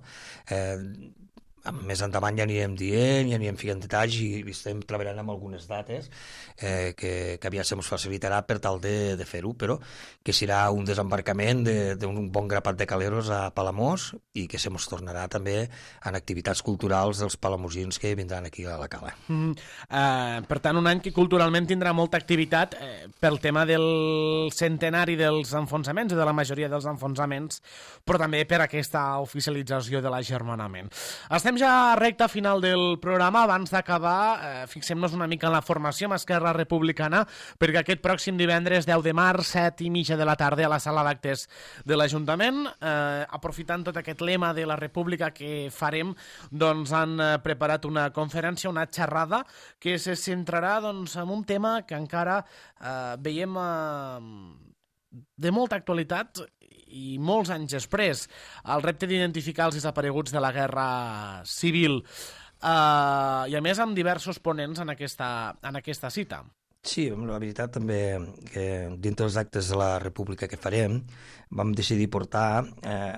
més endavant ja anirem dient, ja anirem ficant detalls i estem treballant amb algunes dates que aviat se ens facilitarà per tal de fer-ho, però que serà un desembarcament d'un bon grapat de caleros a Palamós i que se ens tornarà també en activitats culturals dels palamosins que vindran aquí a la cala. Per tant, un any que culturalment tindrà molta activitat pel tema del centenari dels enfronsaments, de la majoria dels enfronsaments, però també per aquesta oficialització de l'agermanament. Estem ja a recta final del programa. Abans d'acabar, fixem-nos una mica en la formació amb Esquerra Republicana, perquè aquest pròxim divendres 10 de març, 7:30 de la tarda, a la sala d'actes de l'Ajuntament, aprofitant tot aquest lema de la República que farem, doncs han preparat una conferència, una xerrada, que se centrarà doncs, en un tema que encara veiem de molta actualitat i molts anys després, el repte d'identificar els desapareguts de la Guerra Civil, i a més amb diversos ponents en aquesta cita. Sí, la veritat també que dintre dels actes de la República que farem vam decidir portar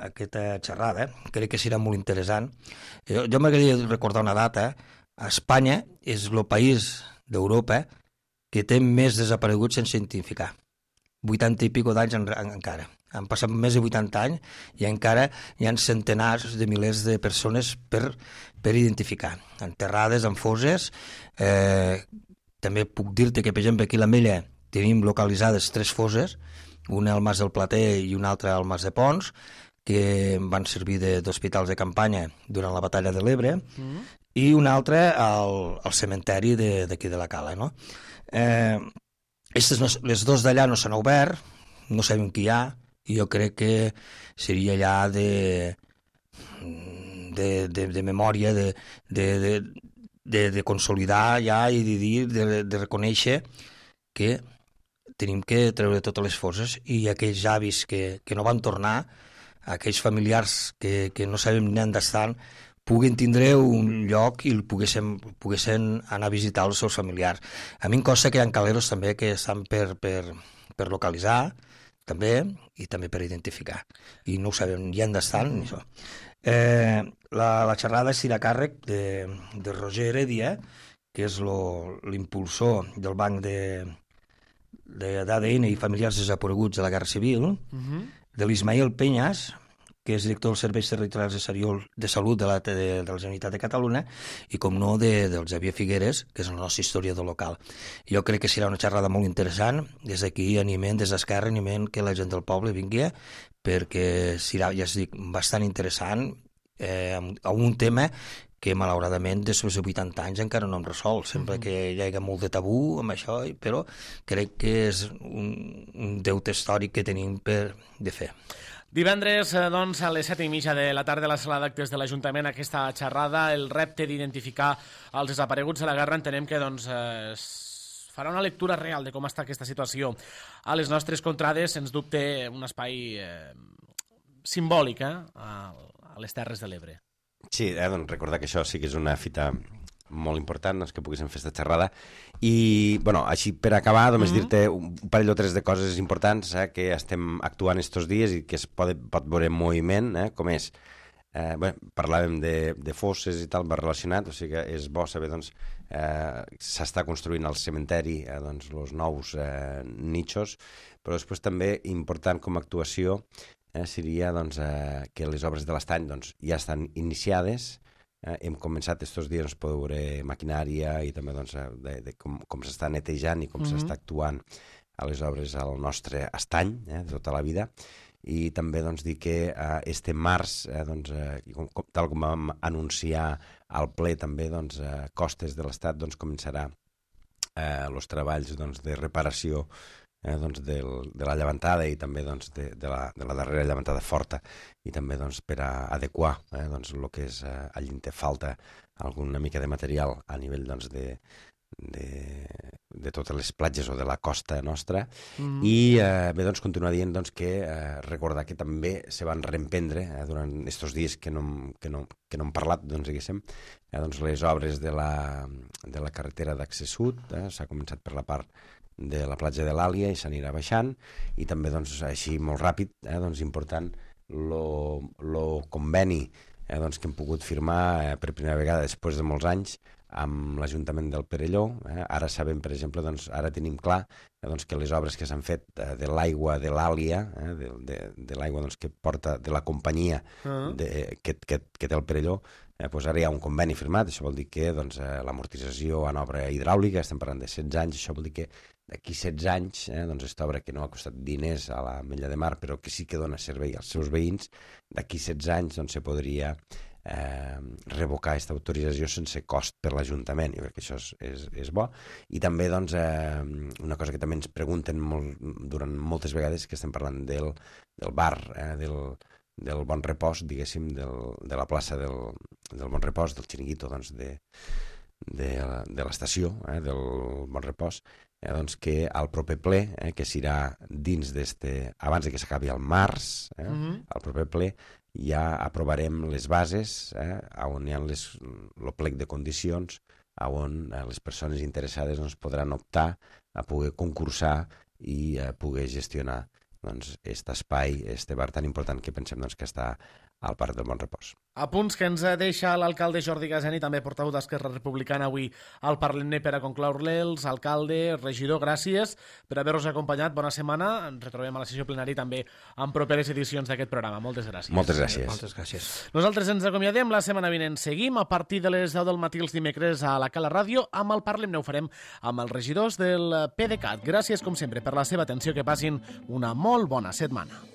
aquesta xerrada. Crec que serà molt interessant. Jo m'agradaria recordar una data. Espanya és el país d'Europa que té més desapareguts sense identificar. 80 i pico d'anys encara. Han passat més de 80 anys i encara hi ha centenars de milers de persones per identificar. Enterrades en fosses. També puc dir-te que, per exemple, aquí a l'Ametlla tenim localitzades 3 fosses, una al Mas del Plater i una altra al Mas de Pons, que van servir d'hospitals de campanya durant la batalla de l'Ebre, i una altra al cementeri d'aquí de la Cala. No? Les dos d'allà no s'han obert, no sabem qui hi ha, i jo crec que seria allà de memòria, de consolidar ja i de dir, de reconèixer que tenim que treure totes les fosses i aquells avis que no van tornar, aquells familiars que no sabem ni on estan, puguen tindre un lloc i poguessin anar a visitar els seus familiars. A mi em consta que hi ha caleros també que estan per localitzar, també, i també per identificar. I no ho sabem ni on estan ni això. La xerrada serà a càrrec de Roger Heredia, que és l'impulsor del banc d'ADN i familiars desapareguts de la Guerra Civil, de l'Ismael Peñas, que és director dels Serveis Territorials de Salut de la Generalitat de Catalunya, i, com no, del Xavier Figueres, que és el nostre historiador local. Jo crec que serà una xerrada molt interessant. Des d'aquí animem, des d'Esquerra, animem que la gent del poble vingui, perquè serà, ja es dic, bastant interessant, a un tema que malauradament després de 80 anys encara no hem resolt. Sembla que hi ha molt de tabú amb això, però crec que és un deute històric que tenim de fer. Divendres, doncs, a les 7:30 de la tarda a la sala d'actes de l'Ajuntament, aquesta xerrada, el repte d'identificar els desapareguts de la guerra. Entenem que doncs, farà una lectura real de com està aquesta situació a les nostres contrades, sens dubte un espai simbòlic a les Terres de l'Ebre. Sí, doncs recordar que això sí que és una fita molt important, doncs, que poguéssim fer aquesta xerrada. I, bueno, així per acabar, només dir-te un parell o tres de coses importants que estem actuant estos dies i que es pot veure en moviment, com és, parlàvem de fosses i tal, relacionat, o sigui que és bo saber, doncs, s'està construint al cementeri, doncs, els nous nichos, però després també important com a actuació seria, doncs, que les obres de l'estany, doncs, ja estan iniciades. Hem començat estos dies a veure maquinària i també doncs, de com s'està netejant i com s'està actuant a les obres al nostre estany de tota la vida. I també doncs, dir que este març, doncs, tal com vam anunciar al ple també, doncs, Costes de l'Estat doncs, començarà els treballs doncs, de reparació doncs, de la llevantada i també doncs, de la darrera llevantada forta, i també doncs, per a adequar doncs, el que és allí on té falta alguna mica de material a nivell doncs, de totes les platges o de la costa nostra. I bé, doncs, continuar dient doncs, que recordar que també se van reemprendre durant aquests dies que no hem parlat, doncs, diguéssim, doncs, les obres de la carretera d'accés sud. S'ha començat per la part de la platja de l'Àlia i s'anirà baixant, i també doncs, així molt ràpid, doncs, important el conveni doncs, que hem pogut firmar per primera vegada després de molts anys amb l'Ajuntament del Perelló. Ara sabem, per exemple, doncs, ara tenim clar doncs, que les obres que s'han fet de l'aigua de l'Àlia, de l'aigua doncs, que porta de la companyia que té el Perelló, doncs ara hi ha un conveni firmat. Això vol dir que doncs, l'amortització en obra hidràulica, estem parlant de 16 anys, això vol dir que d'aquí 16 anys, doncs aquesta obra que no ha costat diners a la Mella de Mar, però que sí que dona servei als seus veïns, d'aquí 16 anys doncs, se podria revocar aquesta autorització sense cost per l'Ajuntament. Jo crec que això és bo. I també doncs, una cosa que també ens pregunten durant moltes vegades, que estem parlant del bar, del Bon Repòs, diguéssim, de la plaça del Bon Repòs, del xiringuito, doncs, de l'estació del Bon Repòs, doncs que al proper ple, que serà dins abans de que s'acabi el març, al proper ple ja aprovarem les bases on hi ha el plec de condicions on les persones interessades doncs, podran optar a poder concursar i poder gestionar doncs, aquest espai, aquest bar tan important que pensem doncs, que està al Parc del Bon Repòs. Apunts que ens deixa l'alcalde Jordi Gaseni, també portaveu d'Esquerra Republicana avui al Parlem-ne per a concloure-les. Alcalde, regidor, gràcies per haver-nos acompanyat. Bona setmana. Ens retrobem a la sessió plenària també en properes edicions d'aquest programa. Moltes gràcies. Moltes gràcies. Moltes gràcies. Nosaltres ens acomiadem. La setmana vinent seguim a partir de les 10 del matí els dimecres a la Cala Ràdio. Amb el Parlem-ne ho farem amb els regidors del PDeCAT. Gràcies, com sempre, per la seva atenció. Que passin una molt bona setmana.